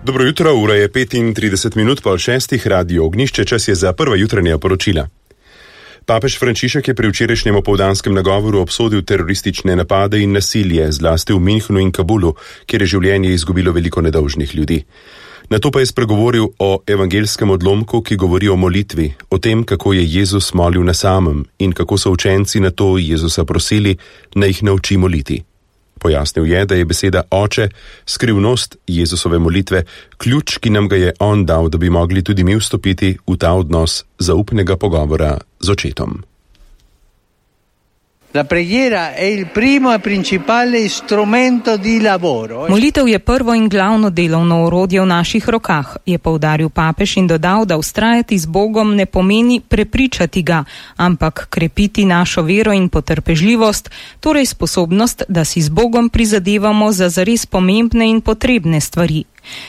Dobro jutro, ura je 35 minut po 6. Radio Ognjišče, čas je za prva jutranja poročila. Papež Frančišek je pri včerajšnjem opoldanskem nagovoru obsodil teroristične napade in nasilje, zlasti v Münchnu in Kabulu, kjer je življenje izgubilo veliko nedolžnih ljudi. Nato pa je spregovoril o evangelskem odlomku, ki govori o molitvi, o tem, kako je Jezus molil na samem in kako so učenci na to Jezusa prosili, naj jih nauči moliti. Pojasnil je, da je beseda Oče, skrivnost Jezusove molitve, ključ, ki nam ga je on dal, da bi mogli tudi mi vstopiti v ta odnos zaupnega pogovora z Očetom. La preghiera è il primo e principale strumento di lavoro. Molitev je prvo in glavno delovno orodje v naših rokah, je poudaril papež in dodal, da vztrajati z Bogom ne pomeni prepričati ga, ampak krepiti našo vero in potrpežljivost, torej sposobnost, da si z Bogom prizadevamo za zares pomembne in potrebne stvari.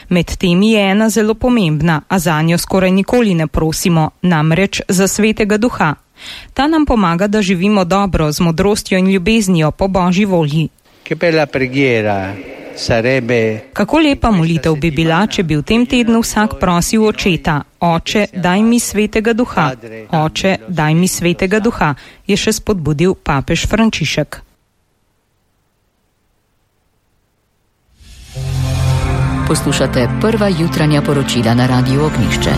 Med temi je ena zelo pomembna, a zanjo skoraj nikoli ne prosimo, namreč za Svetega Duha. Ta nam pomaga, da živimo dobro, z modrostjo in ljubeznijo po Božji volji. Kako lepa molitev bi bila, če bi v tem tednu vsak prosil Očeta: Oče, daj mi Svetega Duha. Oče, daj mi Svetega Duha, je še spodbudil papež Frančišek. Poslušate prva jutranja poročila na Radiu Ognjišče.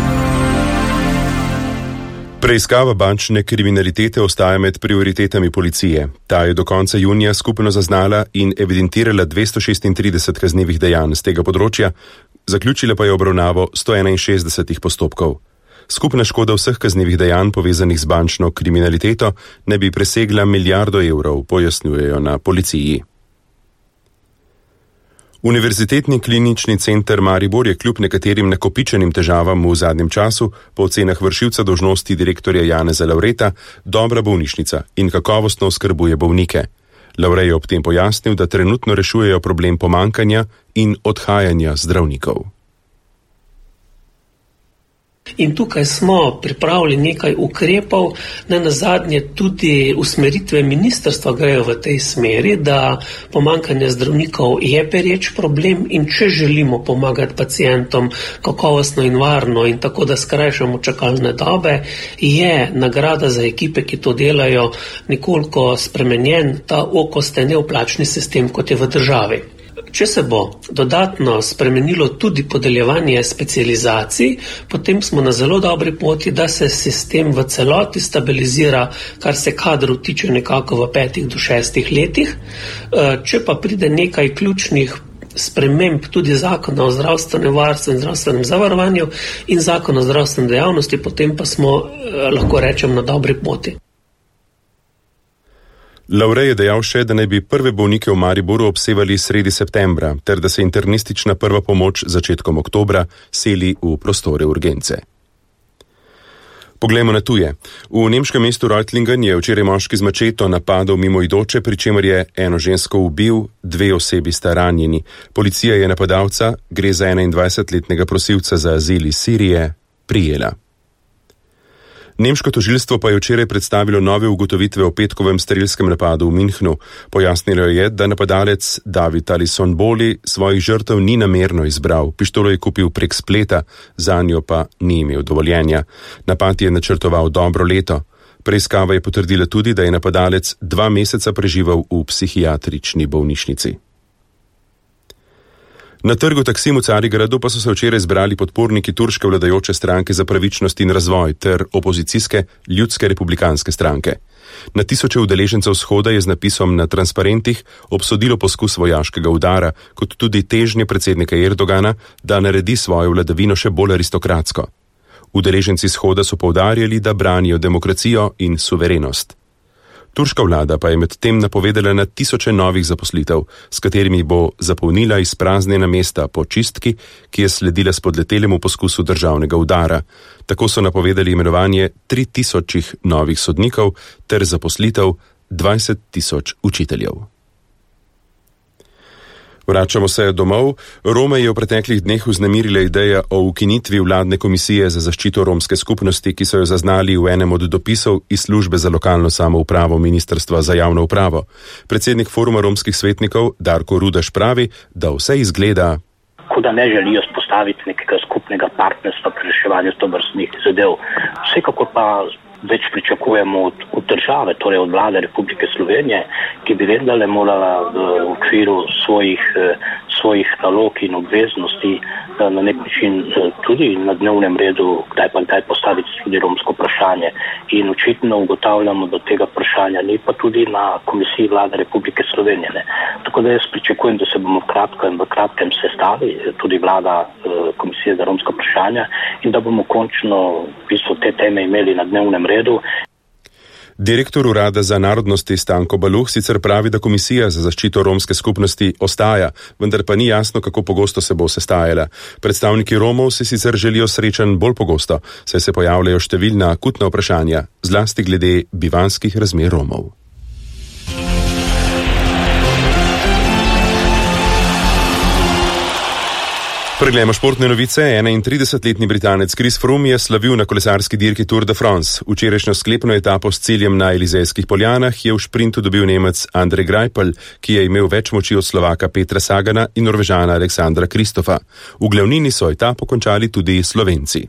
Preiskava bančne kriminalitete ostaja med prioritetami policije. Ta je do konca junija skupno zaznala in evidentirala 236 kaznivih dejanj z tega področja, zaključila pa je obravnavo 161 postopkov. Skupna škoda vseh kaznivih dejanj povezanih z bančno kriminaliteto ne bi presegla milijardo evrov, pojasnjujejo na policiji. Univerzitetni klinični center Maribor je kljub nekaterim nakopičenim težavam v zadnjem času, po ocenah vršilca dolžnosti direktorja Janeza Lavreta, dobra bolnišnica in kakovostno oskrbuje bolnike. Lavrej je ob tem pojasnil, da trenutno rešujejo problem pomankanja in odhajanja zdravnikov. In tukaj smo pripravili nekaj ukrepov, nenazadnje tudi usmeritve ministrstva grejo v tej smeri, da pomankanje zdravnikov je pereč problem in če želimo pomagati pacientom kakovostno in varno in tako, da skrajšamo čakalne dobe, je nagrada za ekipe, ki to delajo, nekoliko spremenjen ta okosten neoplačni sistem, kot je v državi. Če se bo dodatno spremenilo tudi podeljevanje specializacij, potem smo na zelo dobri poti, da se sistem v celoti stabilizira, kar se kadrov tiče nekako v 5 do 6 letih. Če pa pride nekaj ključnih sprememb tudi zakona o zdravstvenem varstvu in zdravstvenem zavarovanju in zakona o zdravstveni dejavnosti, potem pa smo, lahko rečem, na dobri poti. Lavrej je dejal še, da naj bi prve bolnike v Mariboru obsevali sredi septembra, ter da se internistična prva pomoč začetkom oktobra seli v prostore urgence. Poglejmo na tuje. V nemškem mestu Reutlingen je včeraj moški z mačeto napadal mimoidoče, pri čemer je eno žensko ubil, 2 osebi sta ranjeni. Policija je napadalca, gre za 21-letnega prosilca za azil iz Sirije, prijela. Nemško tožilstvo pa je včeraj predstavilo nove ugotovitve o petkovem strelskem napadu v Münchnu. Pojasnilo je, da napadalec David Alison Boli svojih žrtev ni namerno izbral. Pištolo je kupil prek spleta, zanjo pa ni imel dovoljenja. Napad je načrtoval dobro leto. Preiskava je potrdila tudi, da je napadalec 2 meseca preživel v psihiatrični bolnišnici. Na trgu Taksim v Carigradu pa so se včeraj zbrali podporniki turške vladajoče stranke za pravičnost in razvoj ter opozicijske ljudske republikanske stranke. Na tisoče udeležencev shoda je z napisom na transparentih obsodilo poskus vojaškega udara, kot tudi težnje predsednika Erdogana, da naredi svojo vladavino še bolj aristokratsko. Udeleženci shoda so poudarjali, da branijo demokracijo in suverenost. Turška vlada pa je med tem napovedala na tisoče novih zaposlitev, s katerimi bo zapolnila izpraznjena mesta po čistki, ki je sledila spodletelemu poskusu državnega udara. Tako so napovedali imenovanje 3000 novih sodnikov ter zaposlitev 20.000 učiteljev. Vračamo se domov. Rome je v preteklih dneh vznemirila ideja o ukinitvi vladne komisije za zaščito romske skupnosti, ki so jo zaznali v enem od dopisov iz službe za lokalno samoupravo Ministrstva za javno upravo. Predsednik foruma romskih svetnikov Darko Rudaš pravi, da vse izgleda kot da ne želijo spostaviti nekega skupnega partnerstva pri reševanju tovrstnih zadev. Vsekakor pa več pričakujemo od države, torej od vlade Republike Slovenije, ki bi vendarle morala v okviru svojih nalog in obveznosti na nek način tudi na dnevnem redu kdaj pa kdaj postaviti tudi romsko vprašanje. In očitno ugotavljamo, da tega vprašanja ni, pa tudi na Komisiji vlade Republike Slovenije. Ne. Tako da jaz pričakujem, da se bomo v kratkem sestali, tudi vlada Komisije za romska vprašanja, in da bomo končno v bistvu te teme imeli na dnevnem redu. Direktor Urada za narodnosti Stanko Baluh sicer pravi, da Komisija za zaščito romske skupnosti ostaja, vendar pa ni jasno, kako pogosto se bo sestajala. Predstavniki Romov si sicer želijo srečanj bolj pogosto, saj se pojavljajo številna akutna vprašanja, zlasti glede bivanjskih razmer Romov. Preglejmo športne novice. 31-letni Britanec Chris Froome je slavil na kolesarski dirki Tour de France. Včerajšnjo sklepno etapo s ciljem na Elizejskih poljanah je v šprintu dobil Nemec Andrej Greipel, ki je imel več moči od Slovaka Petra Sagana in Norvežana Aleksandra Kristofa. V glavnini so etapo končali tudi Slovenci.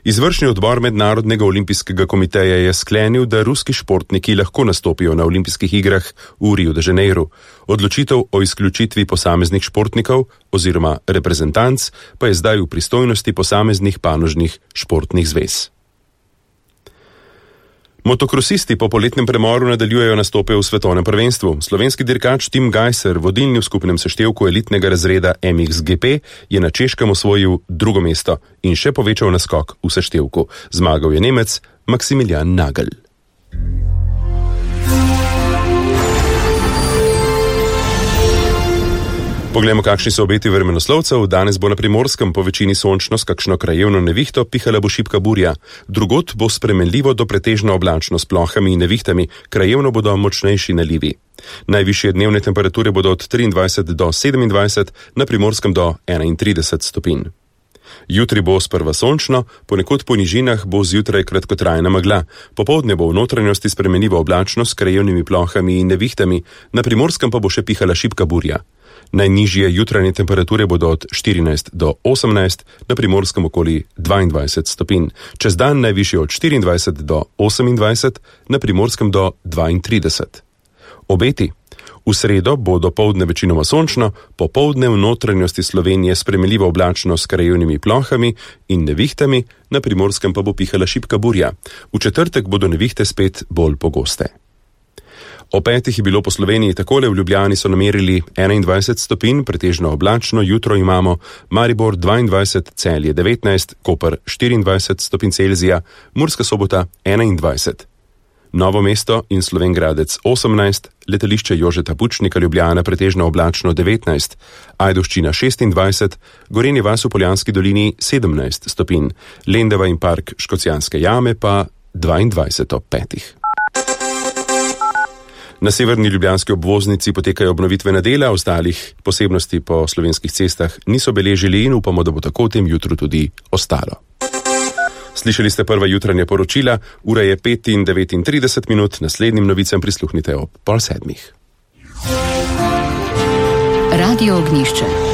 Izvršni odbor Mednarodnega olimpijskega komiteja je sklenil, da ruski športniki lahko nastopijo na olimpijskih igrah v Rio de Janeiro. Odločitev o izključitvi posameznih športnikov oziroma reprezentanc pa je zdaj v pristojnosti posameznih panožnih športnih zvez. Motokrosisti po poletnem premoru nadaljujejo nastope v svetovnem prvenstvu. Slovenski dirkač Tim Gajser, vodilni v skupnem seštevku elitnega razreda MXGP, je na Češkem osvojil drugo mesto in še povečal naskok v seštevku. Zmagal je Nemec Maximilian Nagel. Poglejmo, kakšni so obeti vremenoslovcev. Danes bo na Primorskem po večini sončno s kakšno krajevno nevihto, pihala bo šibka burja. Drugod bo spremenljivo do pretežno oblačno s plohami in nevihtami, krajevno bodo močnejši nalivi. Najvišje dnevne temperature bodo od 23 do 27, na Primorskem do 31 stopinj. Jutri bo sprva sončno, ponekod po nižinah bo zjutraj kratkotrajna megla. Popoldne bo v notranjosti spremenljivo oblačno s krajevnimi plohami in nevihtami, na Primorskem pa bo še pihala šibka burja. Najnižje jutranje temperature bodo od 14 do 18, na Primorskem okoli 22 stopinj. Čez dan najvišje od 24 do 28, na Primorskem do 32. Obeti. V sredo bo dopoldne večinoma sončno, popoldne v notranjosti Slovenije spremenljivo oblačno s krajevnimi plohami in nevihtami, na Primorskem pa bo pihala šibka burja. V četrtek bodo nevihte spet bolj pogoste. O 5 je bilo po Sloveniji takole, v Ljubljani so namerili 21 stopinj, pretežno oblačno, jutro imamo Maribor 22, Celje 19, Koper 24 stopinj Celzija, Murska Sobota 21. Novo mesto in Slovenj Gradec 18, letališče Jožeta Pučnika Ljubljana pretežno oblačno 19, Ajdovščina 26, Gorenje vas v Poljanski dolini 17 stopinj, Lendava in park Škocjanske jame pa 22 ob 5. Na severni ljubljanski obvoznici potekajo obnovitvena dela, ostalih posebnosti po slovenskih cestah niso beležili in upamo, da bo tako v tem jutru tudi ostalo. Slišali ste prva jutranja poročila, ura je 5:39, naslednjim novicam prisluhnite ob 6:30. Radio Ognjišče.